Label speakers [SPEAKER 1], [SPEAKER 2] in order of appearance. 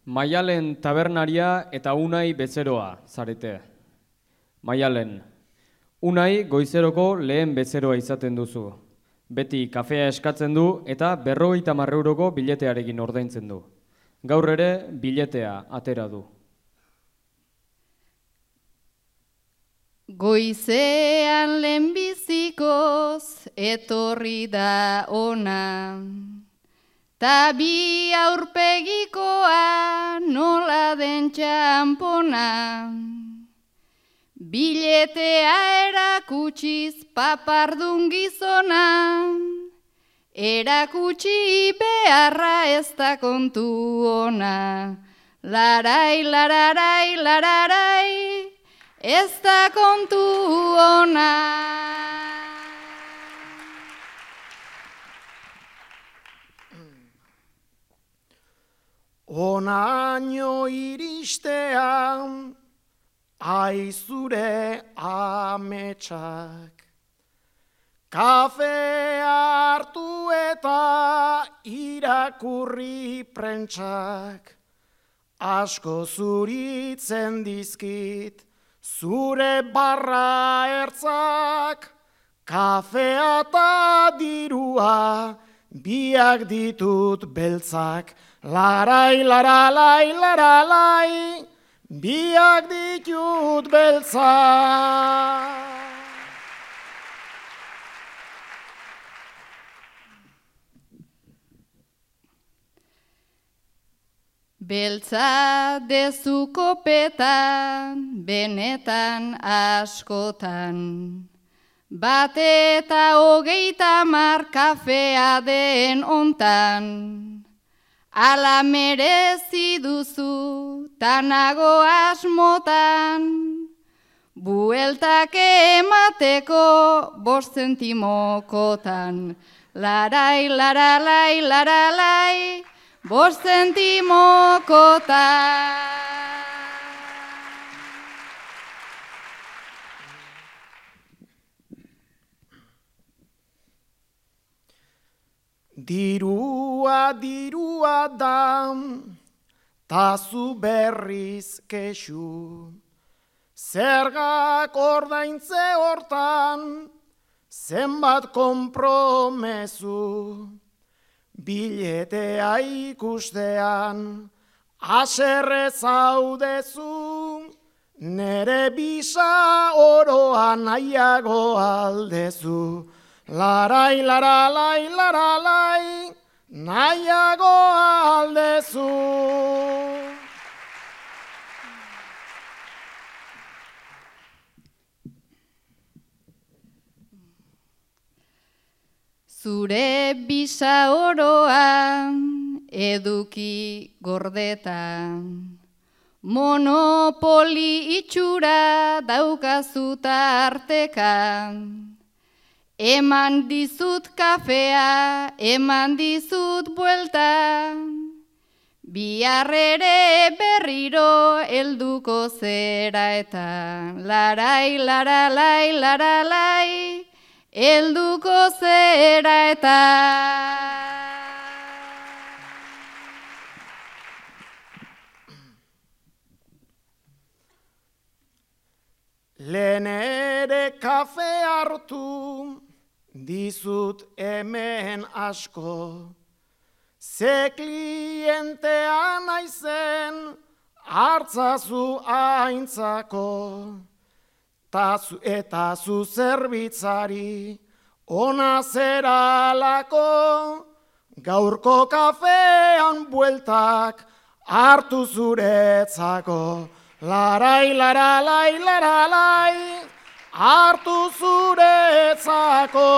[SPEAKER 1] Maialen tabernaria eta Unai bezeroa zarete. Maialen, Unai goizeroko lehen bezeroa izaten duzu. Beti kafea eskatzen du eta 50 euroko biletearekin ordaintzen du. Gaur ere biletea atera du.
[SPEAKER 2] Goizean lehenbizikoz etorri da ona, ta bi aurpegikoa nola den txampona. Biletea erakutsiz papardun gizona, erakutsi beharra ez da kontu ona. Larai, lararai, lararai, ez da kontu ona.
[SPEAKER 3] Onaino iristean, aizure ametsak, kafe hartu eta irakurri prentsak, asko zuritzen dizkit, zure barra ertzak, kafea eta dirua, biak ditut beltzak, larai, laralai, laralai, biak ditut beltzak.
[SPEAKER 2] Beltza dezu kopetan, benetan askotan. Bat eta 30 kafea den ontan. Ala merezi duzu, tanago asmotan. Bueltak emateko 5 zentimokotan. Larai, laralai, laralai, 5 zentimokotan.
[SPEAKER 3] Dirua, dirua da, tazu berriz kexu. Zergak ordaintze hortan, zenbat konpromezu. Biletea ikustean, haserre zaudezu. Nere bisa oroa nahiago aldezu. Larai, laralai, laralai, nahiago aldezu.
[SPEAKER 2] Zure bisa oroa eduki gordetan, monopoli itxura daukazu tartekan. Eman dizut kafea, eman dizut buelta, bihar ere berriro helduko zera eta larai, laralai, laralai, helduko zera eta.
[SPEAKER 3] Lehen ere kafe hartu, dizut hemen asko, ze klientea naizen hartzazu aintzako, eta zu zerbitzari ona zeralako, gaurko kafean bueltak hartu zuretzako, larai, laralai, laralai, hartu zuretzako.